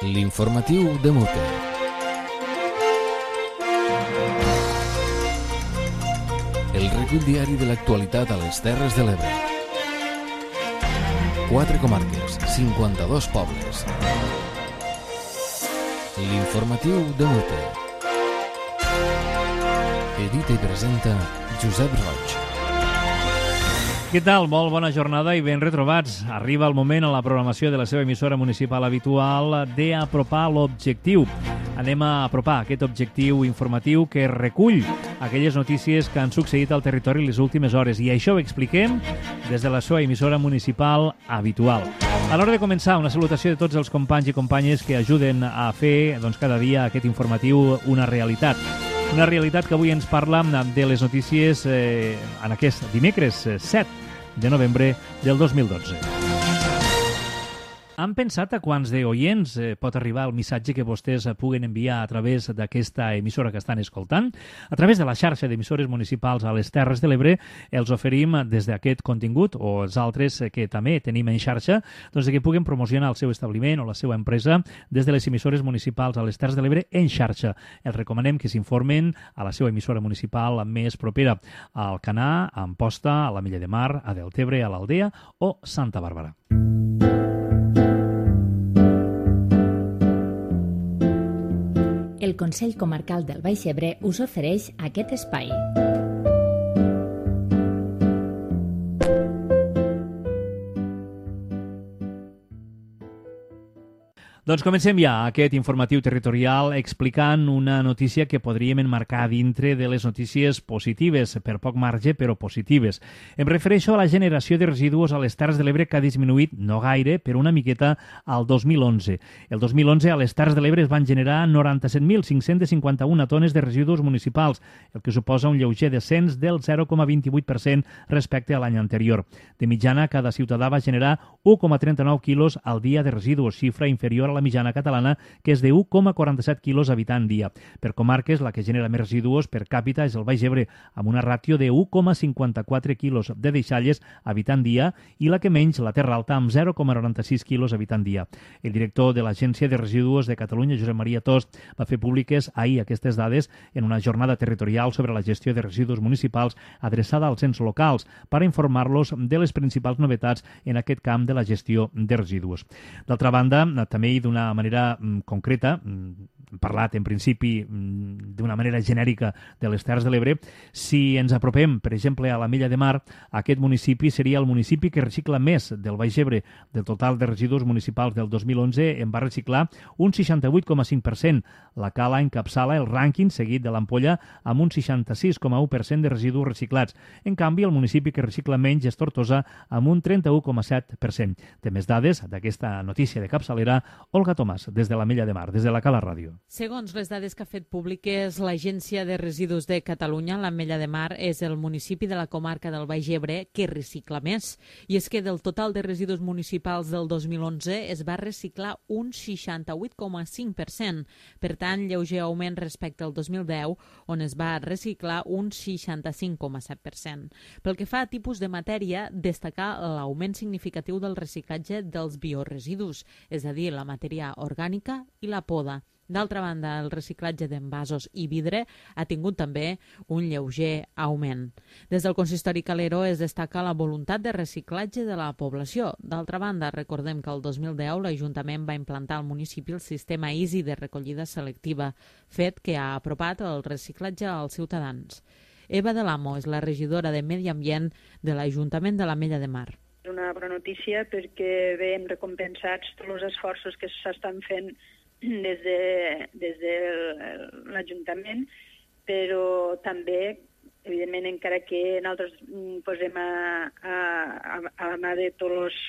L'informatiu de Mute. El recull diari de l'actualitat a les Terres de l'Ebre. 4 comarques, 52 pobles. L'informatiu de Mute. Edita i presenta Josep Roig. Què tal? Molt bona jornada i ben retrobats. Arriba el moment a la programació de la seva emissora municipal habitual d'apropar l'objectiu. Anem a apropar aquest objectiu informatiu que recull aquelles notícies que han succeït al territori les últimes hores, i això ho expliquem des de la seva emissora municipal habitual. A l'hora de començar, una salutació de tots els companys i companyes que ajuden a fer cada dia aquest informatiu una realitat. Una realitat que avui ens parla de les notícies en aquest dimecres 7 de novembre del 2012. Han pensat a quants d'oients pot arribar el missatge que vostès puguen enviar a través d'aquesta emissora que estan escoltant? A través de la xarxa d'emissores municipals a les Terres de l'Ebre els oferim des d'aquest contingut o els altres que també tenim en xarxa, doncs que puguen promocionar el seu establiment o la seva empresa des de les emissores municipals a les Terres de l'Ebre en xarxa. Els recomanem que s'informen a la seva emissora municipal més propera, a Alcanar, a Amposta, a l'Ametlla de Mar, a Deltebre, a l'Aldea o Santa Bàrbara. El Consell Comarcal del Baix Ebre us ofereix aquest espai. Doncs comencem ja aquest informatiu territorial explicant una notícia que podríem enmarcar dintre de les notícies positives, per poc marge, però positives. Em refereixo a la generació de residus a les Terres de l'Ebre, que ha disminuït, no gaire, però una miqueta al 2011. El 2011 a les Terres de l'Ebre es van generar 97.551 tones de residus municipals, el que suposa un lleuger descens del 0,28% respecte a l'any anterior. De mitjana, cada ciutadà va generar 1,39 quilos al dia de residus, xifra inferior a la mitjana catalana, que és de 1,47 quilos habitant dia. Per comarques, la que genera més residus per càpita és el Baix Ebre, amb una ràtio de 1,54 quilos de deixalles habitant dia, i la que menys, la Terra Alta, amb 0,96 quilos habitant dia. El director de l'Agència de Residus de Catalunya, Josep Maria Tost, va fer públiques ahir aquestes dades en una jornada territorial sobre la gestió de residus municipals adreçada als ens locals per informar-los de les principals novetats en aquest camp de la gestió de residus. D'altra banda, també d'una manera concreta, hem parlat en principi d'una manera genèrica de les Terres de l'Ebre. Si ens apropem, per exemple, a l'Ametlla de Mar, aquest municipi seria el municipi que recicla més del Baix Ebre. Del total de residus municipals del 2011 en va reciclar un 68,5%. La Cala encapçala el rànquing seguit de l'Ampolla amb un 66,1% de residus reciclats. En canvi, el municipi que recicla menys és Tortosa amb un 31,7%. Té més dades d'aquesta notícia de capçalera Olga Tomàs, des de l'Ametlla de Mar, des de la Cala Ràdio. Segons les dades que ha fet públiques l'Agència de Residus de Catalunya, l'Ametlla de Mar és el municipi de la comarca del Baix Ebre que recicla més. I és que del total de residus municipals del 2011 es va reciclar un 68,5%. Per tant, lleuger augment respecte al 2010, on es va reciclar un 65,7%. Pel que fa a tipus de matèria, destacar l'augment significatiu del reciclatge dels bioresidus, és a dir, la matèria orgànica i la poda. D'altra banda, el reciclatge d'envasos i vidre ha tingut també un lleuger augment. Des del consistori Calero es destaca la voluntat de reciclatge de la població. D'altra banda, recordem que el 2010 l'Ajuntament va implantar al municipi el sistema Easy de recollida selectiva, fet que ha apropat el reciclatge als ciutadans. Eva de l'Amo és la regidora de Medi Ambient de l'Ajuntament de l'Ametlla de Mar. És una bona notícia perquè veiem recompensats tots els esforços que s'estan fent des de l'Ajuntament, però també, evidentment, encara que nosaltres posem a la mà de tots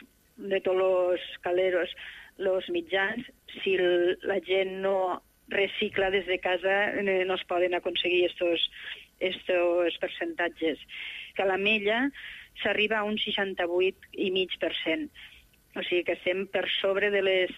els caleros els mitjans, si la gent no recicla des de casa no es poden aconseguir estos percentatges. Que a l'Ametlla s'arriba a un 68,5%. O sigui que estem per sobre de les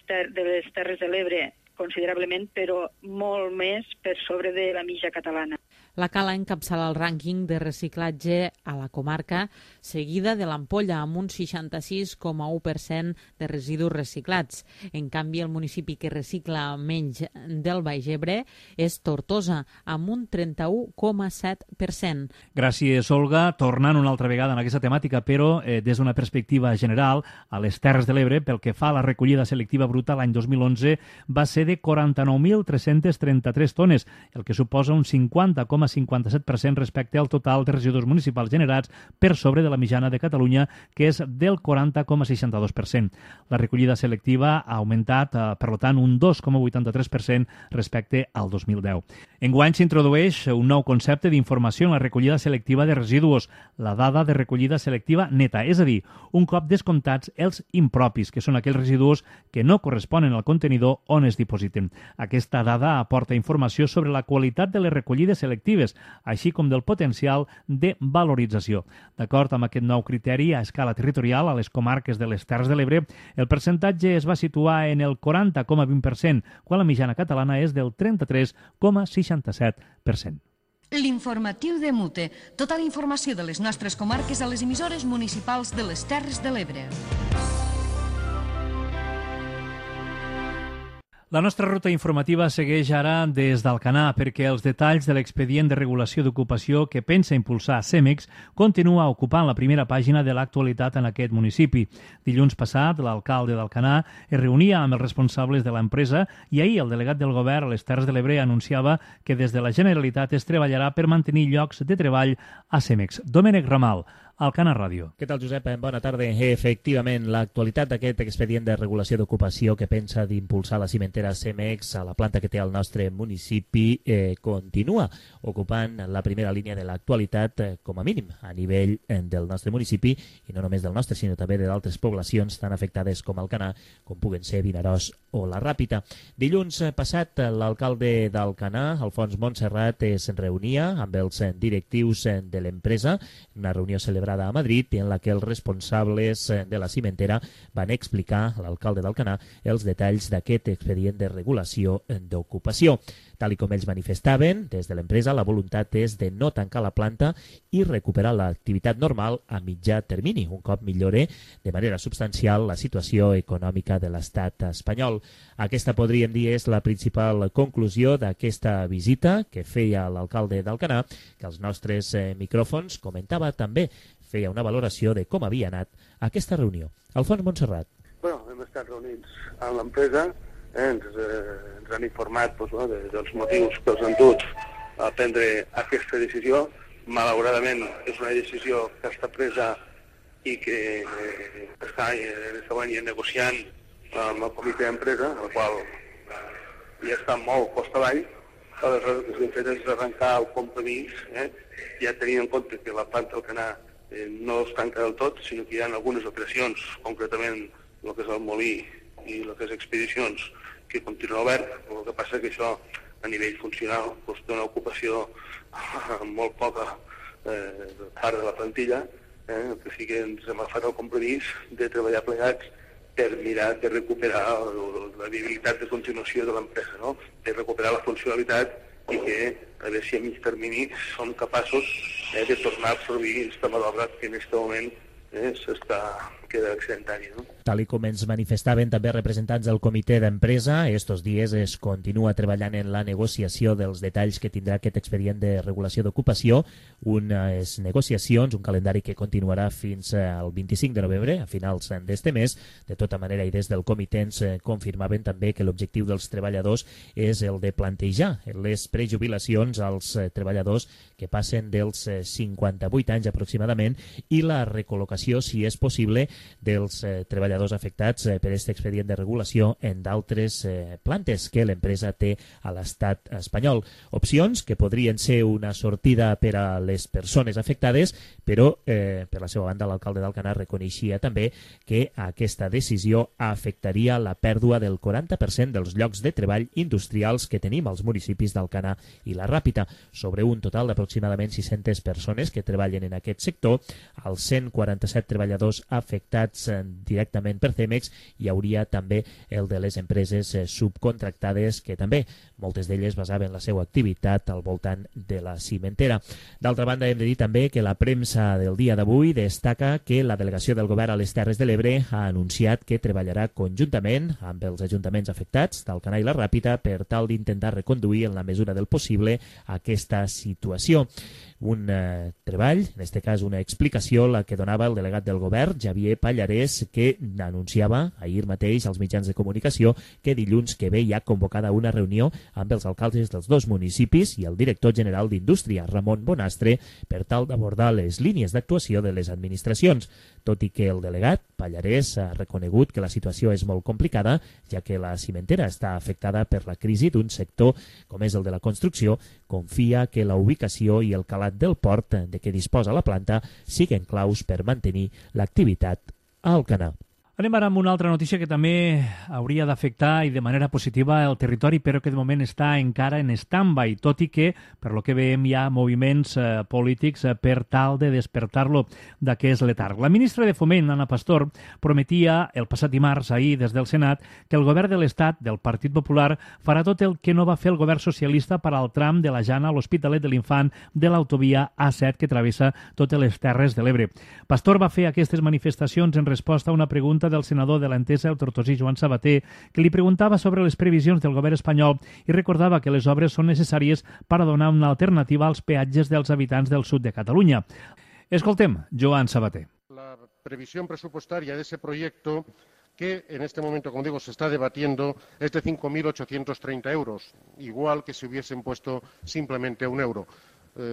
Terres de l'Ebre, considerablement, però molt més per sobre de la mitja catalana. La Cala encapçala el rànquing de reciclatge a la comarca, seguida de l'Ampolla, amb un 66,1% de residus reciclats. En canvi, el municipi que recicla menys del Baix Ebre és Tortosa, amb un 31,7%. Gràcies, Olga. Tornant una altra vegada en aquesta temàtica, però des d'una perspectiva general, a les Terres de l'Ebre, pel que fa a la recollida selectiva bruta, l'any 2011 va ser de 49.333 tones, el que suposa un 50,57% respecte al total de residus municipals generats, per sobre de la mitjana de Catalunya, que és del 40,62%. La recollida selectiva ha augmentat, per tant, un 2,83% respecte al 2010. Enguany s'introdueix un nou concepte d'informació en la recollida selectiva de residus, la dada de recollida selectiva neta, és a dir, un cop descomptats els impropis, que són aquells residus que no corresponen al contenidor on es dipositen. Aquesta dada aporta informació sobre la qualitat de les recollides selectives, així com del potencial de valorització. D'acord amb aquest nou criteri a escala territorial, a les comarques de les Terres de l'Ebre, el percentatge es va situar en el 40,20%, quan la mitjana catalana és del 33,67%. L'informatiu de Mute. Tota la informació de les nostres comarques a les emissores municipals de les Terres de l'Ebre. La nostra ruta informativa segueix ara des d'Alcanar, perquè els detalls de l'expedient de regulació d'ocupació que pensa impulsar CEMEX continua ocupant la primera pàgina de l'actualitat en aquest municipi. Dilluns passat, l'alcalde d'Alcanar es reunia amb els responsables de l'empresa i ahir el delegat del govern a les Terres de l'Ebre anunciava que des de la Generalitat es treballarà per mantenir llocs de treball a CEMEX. Domènec Ramal, Alcanar Ràdio. Què tal, Josep? Bona tarda. Efectivament, l'actualitat d'aquest expedient de regulació d'ocupació que pensa d'impulsar la cimentera CEMEX a la planta que té al nostre municipi continua ocupant la primera línia de l'actualitat, com a mínim, a nivell del nostre municipi, i no només del nostre, sinó també d'altres poblacions tan afectades com Alcanar, com puguen ser Vinaròs o la Ràpita. Dilluns passat, l'alcalde d'Alcanar, Alfons Montserrat, es reunia amb els directius de l'empresa, una reunió celebrada a Madrid, en la que els responsables de la cimentera van explicar a l'alcalde d'Alcanar els detalls d'aquest expedient de regulació d'ocupació. Tal com ells manifestaven, des de l'empresa, la voluntat és de no tancar la planta i recuperar l'activitat normal a mitjà termini, un cop millore de manera substancial la situació econòmica de l'estat espanyol. Aquesta, podríem dir, és la principal conclusió d'aquesta visita que feia l'alcalde d'Alcanar, que als nostres micròfons comentava també, feia una valoració de com havia anat aquesta reunió. Alfons Montserrat. Hem estat reunits amb l'empresa, ens han informat dels motius que els han dut a prendre aquesta decisió. Malauradament és una decisió que està presa i que està negociant amb el comitè d'empresa, el qual ja està molt costa avall. Aleshores, el que hem fet és arrencar el compromís, ja tenint en compte que la planta d'Alcanar no es tanca del tot, sinó que hi ha algunes operacions, concretament el que és el molí i el que és expedicions, que continua obert. El que passa que això, a nivell funcional, té una ocupació molt poca part de la plantilla, que sí que ens hem agafat el compromís de treballar plegats per mirar de recuperar la viabilitat de continuació de l'empresa, no? De recuperar la funcionalitat i que, a veure si a mig termini som capaços de tornar a absorbir aquesta mà d'obra que en aquest moment queda excedentari, no? Tal com ens manifestaven també representants del comitè d'empresa, estos dies es continua treballant en la negociació dels detalls que tindrà aquest expedient de regulació d'ocupació, unes negociacions, un calendari que continuarà fins al 25 de novembre, a finals d'este mes. De tota manera, i des del comitè ens confirmaven també que l'objectiu dels treballadors és el de plantejar les prejubilacions als treballadors que passen dels 58 anys aproximadament i la recol·locació, si és possible, dels treballadors afectats per aquest expedient de regulació en d'altres plantes que l'empresa té a l'estat espanyol. Opcions que podrien ser una sortida per a les persones afectades, però per la seva banda l'alcalde d'Alcanar reconeixia també que aquesta decisió afectaria la pèrdua del 40% dels llocs de treball industrials que tenim als municipis d'Alcanar i la Ràpita. Sobre un total d'aproximadament 600 persones que treballen en aquest sector, els 147 treballadors afectats afectats directament per Cemex. Hi hauria també el de les empreses subcontractades, que també moltes d'elles basaven la seva activitat al voltant de la cimentera. D'altra banda, hem de dir també que la premsa del dia d'avui destaca que la delegació del govern a les Terres de l'Ebre ha anunciat que treballarà conjuntament amb els ajuntaments afectats d'Alcanar i la Ràpita per tal d'intentar reconduir en la mesura del possible aquesta situació. Un treball, en aquest cas una explicació, la que donava el delegat del govern, Javier Pallarès, que anunciava ahir mateix als mitjans de comunicació que dilluns que ve hi ha convocada una reunió amb els alcaldes dels dos municipis i el director general d'Indústria, Ramon Bonastre, per tal d'abordar les línies d'actuació de les administracions. Tot i que el delegat, Pallarès, ha reconegut que la situació és molt complicada, ja que la cimentera està afectada per la crisi d'un sector com és el de la construcció, confia que la ubicació i el calat del port de què disposa la planta siguen claus per mantenir l'activitat a Alcanar. Anem ara amb una altra notícia que també hauria d'afectar i de manera positiva el territori, però que de moment està encara en stand-by, tot i que, per lo que veiem, hi ha moviments polítics per tal de despertar-lo d'aquest letarg. La ministra de Foment, Ana Pastor, prometia el passat dimarts, ahir, des del Senat, que el govern de l'Estat, del Partit Popular, farà tot el que no va fer el govern socialista per al tram de la Jana a l'Hospitalet de l'Infant de l'autovia A7 que travessa totes les Terres de l'Ebre. Pastor va fer aquestes manifestacions en resposta a una pregunta del senador de l'Entesa, el tortosí Joan Sabater, que li preguntava sobre les previsions del govern espanyol i recordava que les obres són necessàries per a donar una alternativa als peatges dels habitants del sud de Catalunya. Escoltem Joan Sabater. La previsión presupuestaria de ese proyecto, que en este momento, como digo, se está debatiendo, es de 5.830 euros, igual que si hubiesen puesto simplemente €1.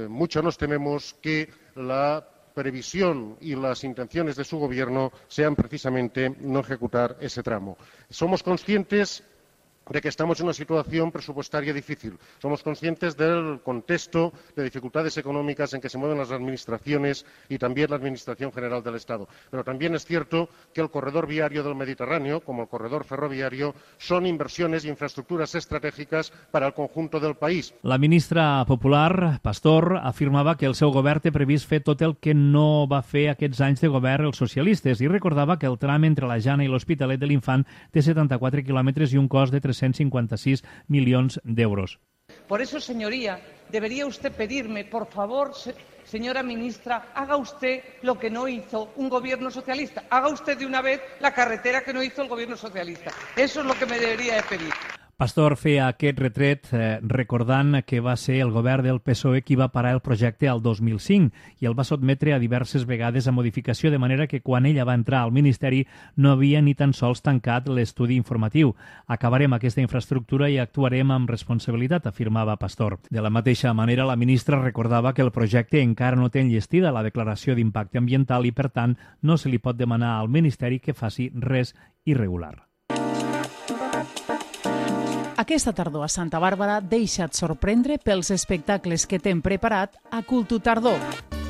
Mucho nos tememos que la previsión y las intenciones de su gobierno sean precisamente no ejecutar ese tramo. Somos conscientes de que estamos en una situación presupuestaria difícil. Somos conscientes del contexto de dificultades económicas en que se mueven las administraciones y también la Administración General del Estado. Pero también es cierto que el corredor viario del Mediterráneo, como el corredor ferroviario, son inversiones y infraestructuras estratègiques para el conjunto del país. La ministra popular, Pastor, afirmava que el seu govern té previst fer tot el que no va fer aquests anys de govern els socialistes i recordava que el tram entre la Jana i l'Hospitalet de l'Infant té 74 quilòmetres i un cost de 356 millones de euros. Por eso, señoría, debería usted pedirme, por favor, señora ministra, haga usted lo que no hizo un gobierno socialista. Haga usted de una vez la carretera que no hizo el gobierno socialista. Eso es lo que me debería de pedir. Pastor feia aquest retret recordant que va ser el govern del PSOE qui va parar el projecte al 2005 i el va sotmetre a diverses vegades a modificació, de manera que quan ella va entrar al Ministeri no havia ni tan sols tancat l'estudi informatiu. Acabarem aquesta infraestructura i actuarem amb responsabilitat, afirmava Pastor. De la mateixa manera, la ministra recordava que el projecte encara no té enllestida la declaració d'impacte ambiental i, per tant, no se li pot demanar al Ministeri que faci res irregular. Aquesta tardor a Santa Bàrbara deixa't sorprendre pels espectacles que t'hem preparat a Cultu Tardor.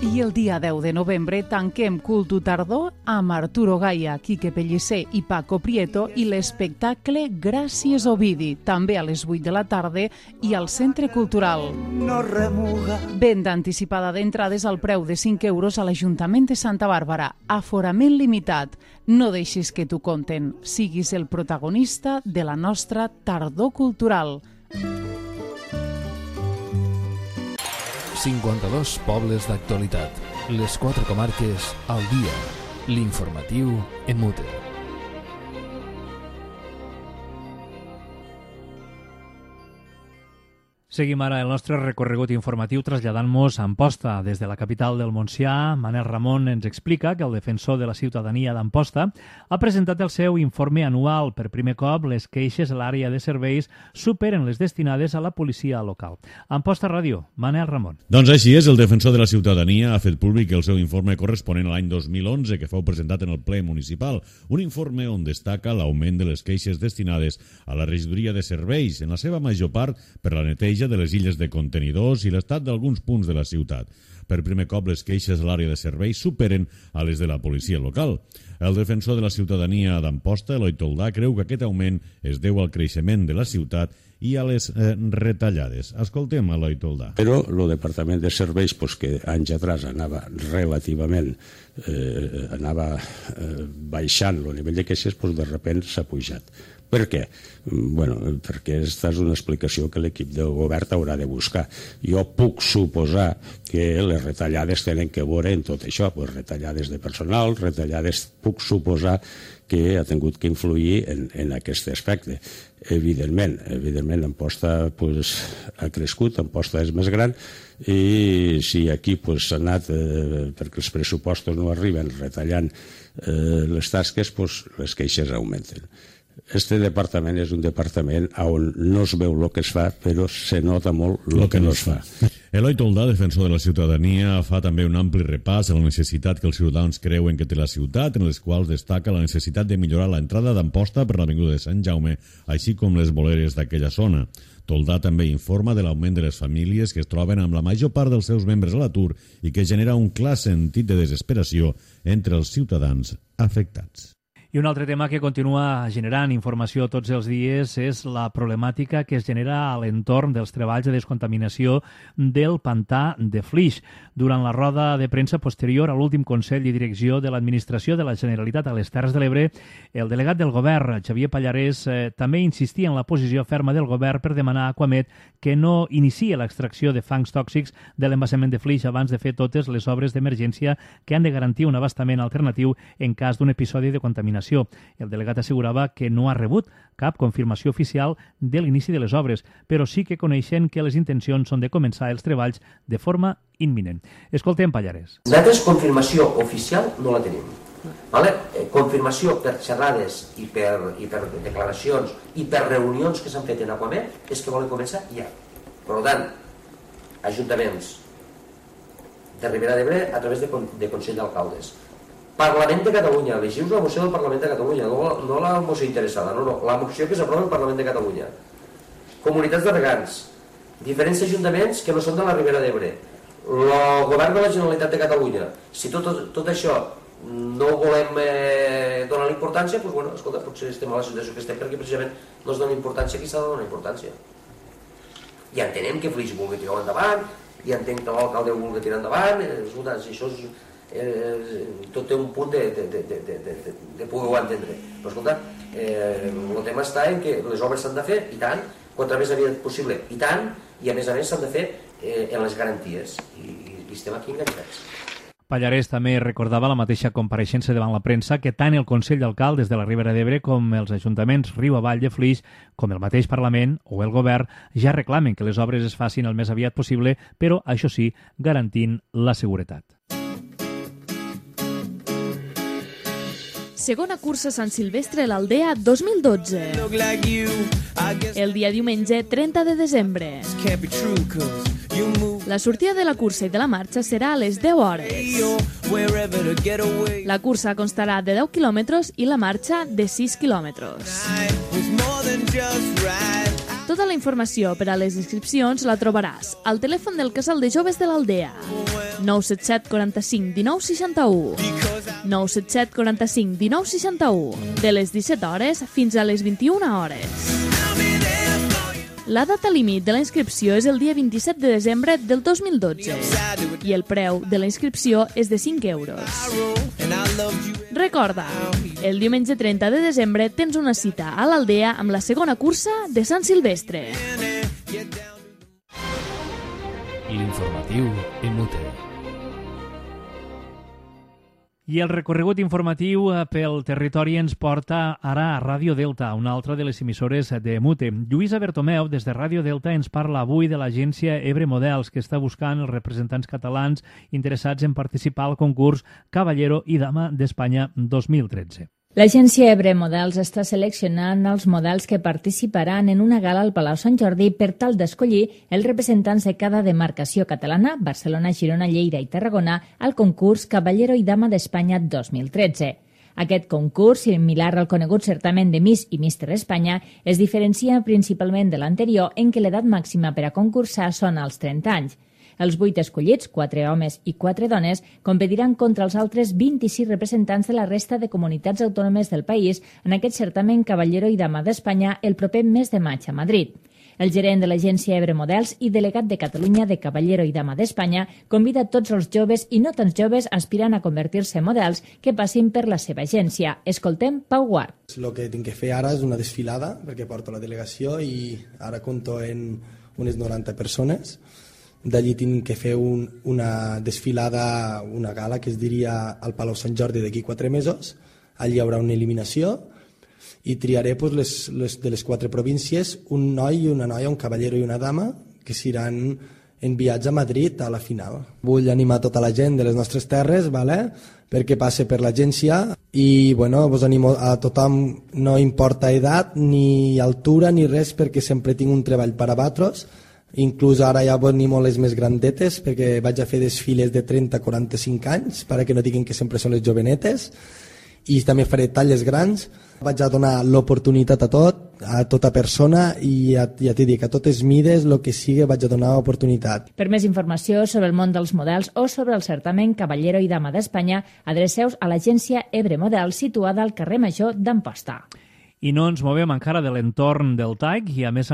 I el dia 10 de novembre tanquem Cultu Tardor amb Arturo Gaia, Quique Pellicer i Paco Prieto i l'espectacle Gràcies Ovidi, també a les 8 de la tarda i al Centre Cultural. No remuga. Venda anticipada d'entrades al preu de 5 euros a l'Ajuntament de Santa Bàrbara. Aforament limitat. No deixis que t'ho conten. Siguis el protagonista de la nostra tardor cultural. 52 pobles d'actualitat. Les 4 comarques al dia. L'informatiu en Mute. Seguim ara el nostre recorregut informatiu traslladant-nos a Amposta. Des de la capital del Montsià, Manel Ramon ens explica que el defensor de la ciutadania d'Amposta ha presentat el seu informe anual. Per primer cop, les queixes a l'àrea de serveis superen les destinades a la policia local. Amposta Ràdio, Manel Ramon. Doncs així és, el defensor de la ciutadania ha fet públic el seu informe corresponent a l'any 2011, que fou presentat en el ple municipal. Un informe on destaca l'augment de les queixes destinades a la regidoria de serveis, en la seva major part per la neteja de les illes de contenidors i l'estat d'alguns punts de la ciutat. Per primer cop, les queixes a l'àrea de serveis superen a les de la policia local. El defensor de la ciutadania d'Amposta, Eloi Toldà, creu que aquest augment es deu al creixement de la ciutat i a les retallades. Escoltem Eloi Toldà. Però el Departament de Serveis, que anys atrás anava relativament baixant el nivell de queixes, de sobte s'ha pujat. Per què? Perquè aquesta és una explicació que l'equip del govern haurà de buscar. Jo puc suposar que les retallades tenen que veure en tot això, retallades de personal, puc suposar que ha tingut que influir en aquest aspecte. Evidentment, Amposta ha crescut, Amposta és més gran, i si aquí s'ha anat, perquè els pressupostos no arriben, retallant les tasques, les queixes augmenten. Este departament és un departament on no es veu el que es fa, però se nota molt el que no es fa. Eloi Toldà, defensor de la ciutadania, fa també un ampli repàs a la necessitat que els ciutadans creuen que té la ciutat, en les quals destaca la necessitat de millorar l'entrada d'Amposta per l'avinguda de Sant Jaume, així com les voleres d'aquella zona. Toldà també informa de l'augment de les famílies que es troben amb la major part dels seus membres a l'atur i que genera un clar sentit de desesperació entre els ciutadans afectats. I un altre tema que continua generant informació tots els dies és la problemàtica que es genera a l'entorn dels treballs de descontaminació del pantà de Flix. Durant la roda de premsa posterior a l'últim Consell de Direcció de l'Administració de la Generalitat a les Terres de l'Ebre, el delegat del govern, Xavier Pallarès, també insistia en la posició ferma del govern per demanar a Aquamet que no iniciï l'extracció de fangs tòxics de l'embassament de Flix abans de fer totes les obres d'emergència que han de garantir un abastament alternatiu en cas d'un episodi de contaminació. El delegat assegurava que no ha rebut cap confirmació oficial de l'inici de les obres, però sí que coneixen que les intencions són de començar els treballs de forma imminent. Escoltem Pallarès. Nosaltres confirmació oficial no la tenim. Confirmació per xerrades i per declaracions i per reunions que s'han fet en Aquamet és que volen començar ja. Per tant, ajuntaments de Ribera d'Ebre a través de Consell d'Alcaldes, Parlament de Catalunya, llegiu la moció del Parlament de Catalunya, no la moció interessada, no, la moció que s'aprova al Parlament de Catalunya. Comunitats de regants, diferents ajuntaments que no són de la Ribera d'Ebre, el govern de la Generalitat de Catalunya. Si tot això no volem donar importància, doncs, escolta, potser estem a la situació que estem perquè precisament no es dona importància qui s'ha de donar importància. I entenem que Flix vulgui tirar endavant, i entenc que l'alcalde vulgui tirar endavant, escolta, si això és... tot té un punt de poder-ho entendre, però escolta, el tema està en que les obres s'han de fer i tant, contra més aviat possible i tant, i a més s'han de fer en les garanties i estem aquí enganxats. Pallarès també recordava la mateixa compareixença davant la premsa que tant el Consell d'Alcaldes de la Ribera d'Ebre com els ajuntaments Riu Avall de Flix, com el mateix Parlament o el Govern, ja reclamen que les obres es facin el més aviat possible, però, això sí, garantint la seguretat. Segona cursa Sant Silvestre a l'Aldea 2012. El dia diumenge 30 de desembre. La sortida de la cursa i de la marxa serà a les 10 hores. La cursa constarà de 10 quilòmetres i la marxa de 6 quilòmetres. Tota la informació per a les inscripcions la trobaràs al telèfon del Casal de Joves de l'Aldea, 977 45 19 61. 977 45 19 61, de les 17 hores fins a les 21 hores. La data límit de la inscripció és el dia 27 de desembre del 2012 i el preu de la inscripció és de 5 euros. Recorda, el diumenge 30 de desembre tens una cita a l'Aldea amb la segona cursa de Sant Silvestre. L'informatiu en Mute. I el recorregut informatiu pel territori ens porta ara a Ràdio Delta, una altra de les emissores de Mute. Lluïsa Bertomeu, des de Ràdio Delta, ens parla avui de l'agència Ebre Models, que està buscant els representants catalans interessats en participar al concurs Caballero i Dama d'Espanya 2013. L'agència Ebre Models està seleccionant els models que participaran en una gala al Palau Sant Jordi per tal d'escollir els representants de cada demarcació catalana, Barcelona, Girona, Lleida i Tarragona, al concurs Caballero i Dama d'Espanya 2013. Aquest concurs, similar al conegut certamen de Miss i Míster Espanya, es diferencia principalment de l'anterior en què l'edat màxima per a concursar són els 30 anys. Els 8 escollits, 4 homes i 4 dones, competiran contra els altres 26 representants de la resta de comunitats autònomes del país en aquest certamen Caballero i Dama d'Espanya el proper mes de maig a Madrid. El gerent de l'agència Ebre Models i delegat de Catalunya de Caballero i Dama d'Espanya convida tots els joves i no tan joves aspirant a convertir-se en models que passin per la seva agència. Escoltem Pau Guart. El que tinc que fer ara és una desfilada, perquè porto la delegació i ara compto en unes 90 persones. D'allí tinc que fer una desfilada, una gala que es diria al Palau Sant Jordi d'aquí 4 mesos. Allí hi haurà una eliminació i triaré de les 4 províncies un noi i una noia, un cavallero i una dama, que seran enviats a Madrid a la final. Vull animar tota la gent de les nostres terres, perquè passe per l'agència i vos animo a tothom, no importa edat, ni altura, ni res, perquè sempre tinc un treball per a vosaltres. Inclús ara ja animo les més grandetes, perquè vaig a fer desfiles de 30-45 anys, perquè no diguin que sempre són les jovenetes, i també faré talles grans. Vaig a donar l'oportunitat a tota persona i ja t'he dit que a totes mides, el que sigui, vaig a donar oportunitat. Per més informació sobre el món dels models o sobre el certamen Caballero i Dama d'Espanya, adreceu-vos a l'agència Ebre Models situada al carrer Major d'Amposta. I no ens movem encara de l'entorn del TAIC i, a més,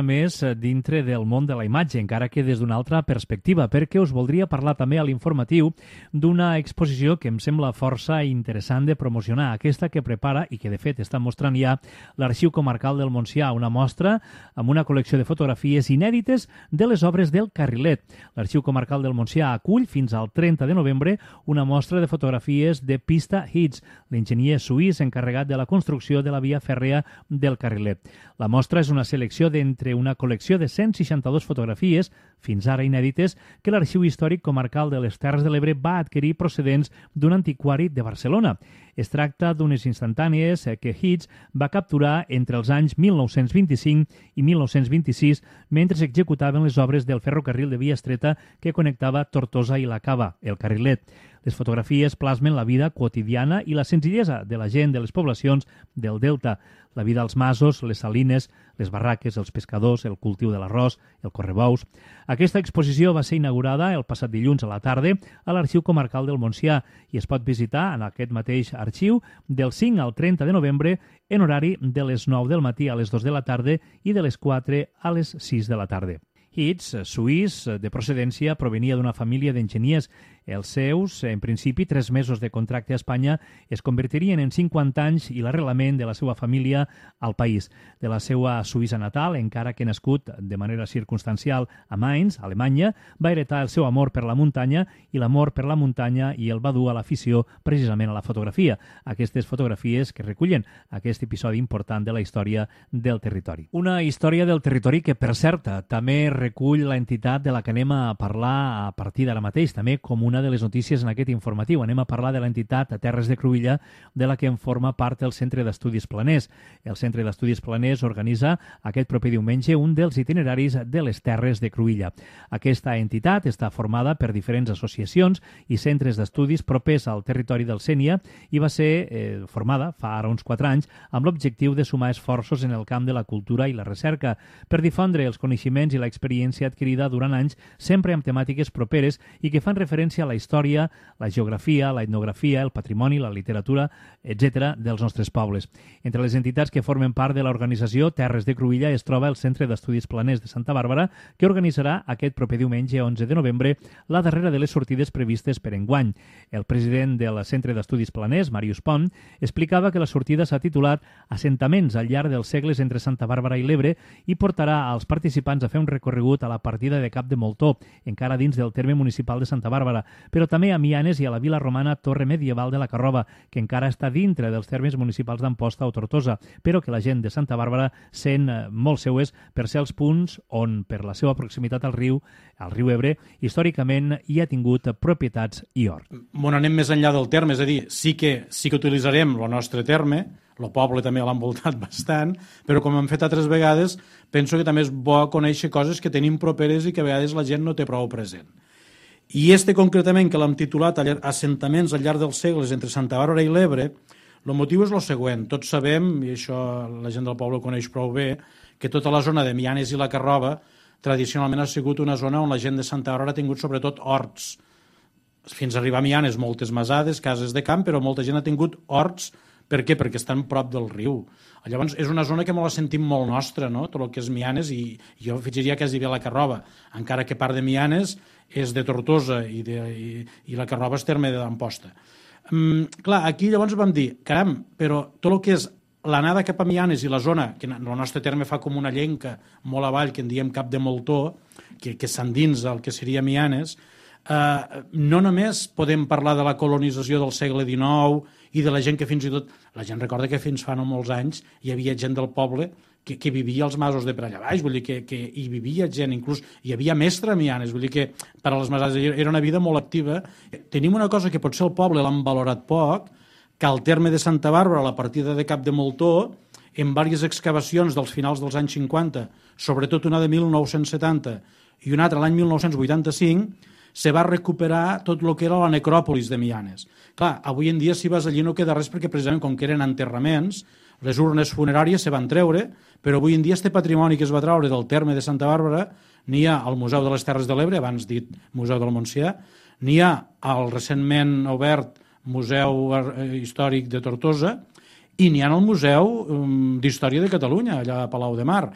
dintre del món de la imatge, encara que des d'una altra perspectiva, perquè us voldria parlar també a l'informatiu d'una exposició que em sembla força interessant de promocionar, aquesta que prepara i que, de fet, està mostrant ja l'Arxiu Comarcal del Montsià, una mostra amb una col·lecció de fotografies inèdites de les obres del Carrilet. L'Arxiu Comarcal del Montsià acull fins al 30 de novembre una mostra de fotografies de Pista Hits, l'enginyer suís encarregat de la construcció de la via fèrrea del Carrilet. La mostra és una selecció d'entre una col·lecció de 162 fotografies, fins ara inèdites, que l'Arxiu Històric Comarcal de les Terres de l'Ebre va adquirir procedents d'un antiquari de Barcelona. Es tracta d'unes instantànies que Hits va capturar entre els anys 1925 i 1926 mentre s'executaven les obres del ferrocarril de via estreta que connectava Tortosa i la Cava, el Carrilet. Les fotografies plasmen la vida quotidiana i la senzillesa de la gent de les poblacions del Delta, la vida als masos, les salines, les barraques, els pescadors, el cultiu de l'arròs, el correbous. Aquesta exposició va ser inaugurada el passat dilluns a la tarda a l'Arxiu Comarcal del Montsià i es pot visitar en aquest mateix arxiu del 5 al 30 de novembre en horari de les 9 del matí a les 2 de la tarda i de les 4 a les 6 de la tarda. Hits, suís, de procedència, provenia d'una família d'enginyers. Els seus, en principi, 3 mesos de contracte a Espanya es convertirien en 50 anys i l'arrelament de la seva família al país. De la seva Suïssa natal, encara que nascut de manera circumstancial a Mainz, Alemanya, va heretar el seu amor per la muntanya i l'amor per la muntanya i el va dur a l'afició precisament a la fotografia. Aquestes fotografies que recullen aquest episodi important de la història del territori. Una història del territori que, per cert, també recull l'entitat de la que anem a parlar a partir d'ara mateix, també com una de les notícies en aquest informatiu. Anem a parlar de l'entitat Terres de Cruïlla, de la que en forma part el Centre d'Estudis Planers. El Centre d'Estudis Planers organitza aquest proper diumenge un dels itineraris de les Terres de Cruïlla. Aquesta entitat està formada per diferents associacions i centres d'estudis propers al territori del Sénia i va ser formada fa ara uns 4 anys amb l'objectiu de sumar esforços en el camp de la cultura i la recerca per difondre els coneixements i l'experiència adquirida durant anys, sempre amb temàtiques properes i que fan referència a la història, la geografia, la etnografia, el patrimoni, la literatura, etc. dels nostres pobles. Entre les entitats que formen part de l'organització Terres de Cruïlla es troba el Centre d'Estudis Planers de Santa Bàrbara, que organitzarà aquest proper diumenge 11 de novembre la darrera de les sortides previstes per enguany. El president del Centre d'Estudis Planers, Màrius Pont, explicava que la sortida s'ha titulat Assentaments al llarg dels segles entre Santa Bàrbara i l'Ebre i portarà als participants a fer un recorregut a la partida de Cap de Moltó, encara dins del terme municipal de Santa Bàrbara, però també a Mianes i a la vila romana Torre Medieval de la Carrova, que encara està dintre dels termes municipals d'Amposta o Tortosa, però que la gent de Santa Bàrbara sent molt seues per ser els punts on, per la seva proximitat al riu Ebre, històricament hi ha tingut propietats i hort. Bueno, anem més enllà del terme, és a dir, sí que utilitzarem el nostre terme, el poble també l'ha envoltat bastant, però com hem fet altres vegades, penso que també és bo conèixer coses que tenim properes i que a vegades la gent no té prou present. I concretament, que l'hem titulat Assentaments al llarg dels segles entre Santa Bàrbara i l'Ebre, el motiu és el següent. Tots sabem, i això la gent del poble ho coneix prou bé, que tota la zona de Mianes i la Carrova tradicionalment ha sigut una zona on la gent de Santa Bàrbara ha tingut sobretot horts. Fins a arribar a Mianes, moltes masades, cases de camp, però molta gent ha tingut horts. Per què? Perquè estan prop del riu. Llavors, és una zona que me la sentim molt nostra, no? Tot el que és Mianes, i jo afegiria quasi bé la Carrova, encara que part de Mianes és de Tortosa i la Carrova és terme d'Amposta. Clar, aquí llavors vam dir, caram, però tot el que és l'anada cap a Mianes i la zona, que el nostre terme fa com una llenca molt avall, que en diem Cap de Moltó, que s'endinsa el que seria Mianes, no només podem parlar de la colonització del segle XIX i de la gent que fins i tot... La gent recorda que fins fa no molts anys hi havia gent del poble que vivia als masos de per allà baix, vull dir que hi vivia gent, inclús hi havia mestre a Mianes, vull dir que per a les masades era una vida molt activa. Tenim una cosa que potser el poble l'han valorat poc, que al terme de Santa Bàrbara, a la partida de Cap de Moltó, en diverses excavacions dels finals dels anys 50, sobretot una de 1970 i una altra l'any 1985, se va recuperar tot el que era la necròpolis de Mianes. Clar, avui en dia si vas allí no queda res perquè precisament com que eren enterraments, les urnes funeràries se van treure, però avui en dia este patrimoni que es va treure del terme de Santa Bàrbara n'hi ha al Museu de les Terres de l'Ebre, abans dit Museu del Montsià, n'hi ha al recentment obert Museu Històric de Tortosa i n'hi ha al Museu d'Història de Catalunya, allà a Palau de Mar.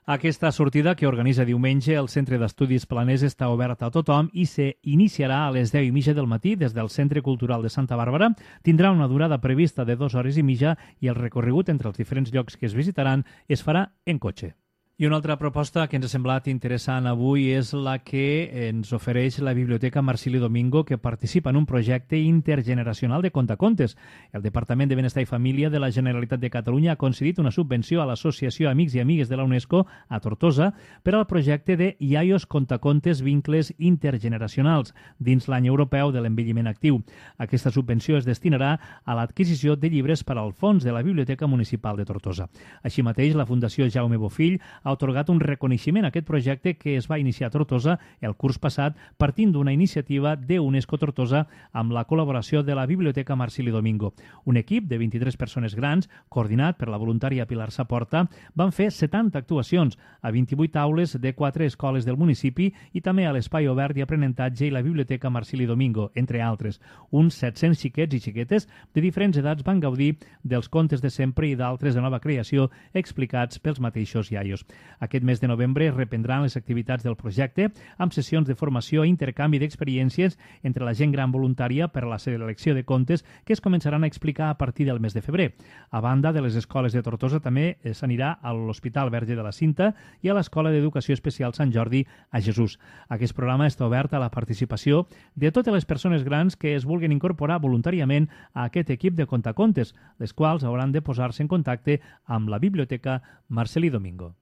Aquesta sortida que organitza diumenge el Centre d'Estudis Planers està oberta a tothom i s'iniciarà a les 10:30 del matí des del Centre Cultural de Santa Bàrbara. Tindrà una durada prevista de 2 hores i mitja i el recorregut entre els diferents llocs que es visitaran es farà en cotxe. I una altra proposta que ens ha semblat interessant avui és la que ens ofereix la Biblioteca Marcili Domingo, que participa en un projecte intergeneracional de contacontes. El Departament de Benestar i Família de la Generalitat de Catalunya ha concedit una subvenció a l'Associació Amics i Amigues de la UNESCO a Tortosa per al projecte de Iaios Contacontes Vincles Intergeneracionals dins l'any europeu de l'envelliment actiu. Aquesta subvenció es destinarà a l'adquisició de llibres per al fons de la Biblioteca Municipal de Tortosa. Així mateix, la Fundació Jaume Bofill ha atorgat un reconeixement a aquest projecte que es va iniciar a Tortosa el curs passat partint d'una iniciativa de UNESCO Tortosa amb la col·laboració de la Biblioteca Marcili Domingo. Un equip de 23 persones grans, coordinat per la voluntària Pilar Saporta, van fer 70 actuacions a 28 aules de 4 escoles del municipi i també a l'Espai Obert i Aprenentatge i la Biblioteca Marcili Domingo, entre altres. Uns 700 xiquets i xiquetes de diferents edats van gaudir dels contes de sempre i d'altres de nova creació explicats pels mateixos iaios. Aquest mes de novembre es reprendran les activitats del projecte amb sessions de formació i intercanvi d'experiències entre la gent gran voluntària per a la selecció de contes que es començaran a explicar a partir del mes de febrer. A banda de les escoles de Tortosa, també s'anirà a l'Hospital Verge de la Cinta i a l'Escola d'Educació Especial Sant Jordi a Jesús. Aquest programa està obert a la participació de totes les persones grans que es vulguin incorporar voluntàriament a aquest equip de contacontes, les quals hauran de posar-se en contacte amb la Biblioteca Marcili Domingo.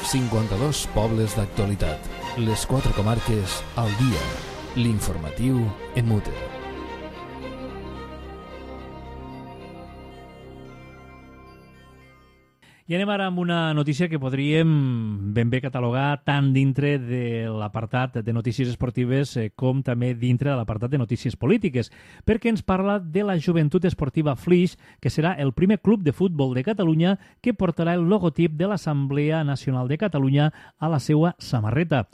52 pobles d'actualitat. Les 4 comarques al dia. L'informatiu en Mute. I anem ara amb una notícia que podríem ben bé catalogar tant dintre de l'apartat de notícies esportives com també dintre de l'apartat de notícies polítiques, perquè ens parla de la Joventut Esportiva Flix, que serà el primer club de futbol de Catalunya que portarà el logotip de l'Assemblea Nacional de Catalunya a la seva samarreta.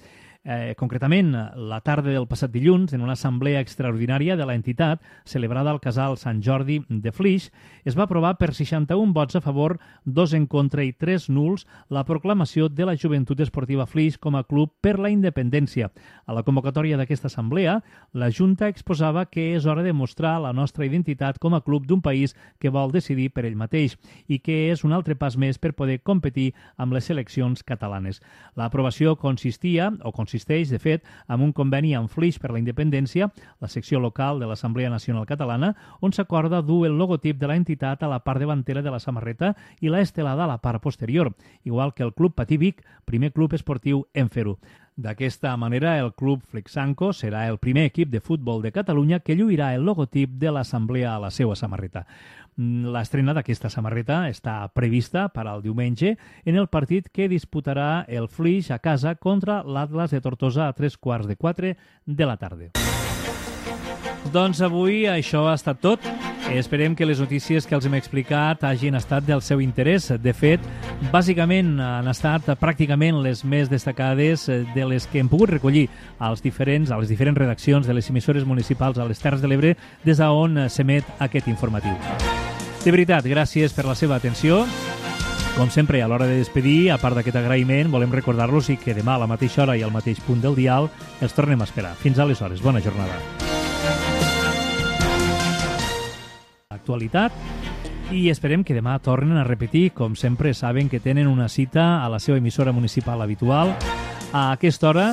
Concretament, la tarda del passat dilluns, en una assemblea extraordinària de l'entitat celebrada al Casal Sant Jordi de Flix, es va aprovar per 61 vots a favor, 2 en contra i 3 nuls la proclamació de la Joventut Esportiva Flix com a club per la independència. A la convocatòria d'aquesta assemblea, la Junta exposava que és hora de mostrar la nostra identitat com a club d'un país que vol decidir per ell mateix i que és un altre pas més per poder competir amb les seleccions catalanes. L'aprovació consisteix, de fet, amb un conveni amb Flix per la Independència, la secció local de l'Assemblea Nacional Catalana, on s'acorda dur el logotip de l'entitat a la part davantera de la samarreta i la estelada a la part posterior, igual que el Club Patí Vic, primer club esportiu en fer-ho. D'aquesta manera, el Club Flixanco serà el primer equip de futbol de Catalunya que lluirà el logotip de l'Assemblea a la seva samarreta. L'estrena d'aquesta samarreta està prevista per al diumenge en el partit que disputarà el Flix a casa contra l'Atlas de Tortosa a 3:15 de la tarda. Doncs avui això ha estat tot. Esperem que les notícies que els hem explicat hagin estat del seu interès. De fet, bàsicament han estat pràcticament les més destacades de les que hem pogut recollir a les diferents redaccions de les emissores municipals a les Terres de l'Ebre des d'on s'emet aquest informatiu. De veritat, gràcies per la seva atenció. Com sempre, a l'hora de despedir, a part d'aquest agraïment, volem recordar-los que demà a la mateixa hora i al mateix punt del dial els tornem a esperar. Fins aleshores, bona jornada. Actualitat i esperem que demà tornen a repetir. Com sempre, saben que tenen una cita a la seva emissora municipal habitual a aquesta hora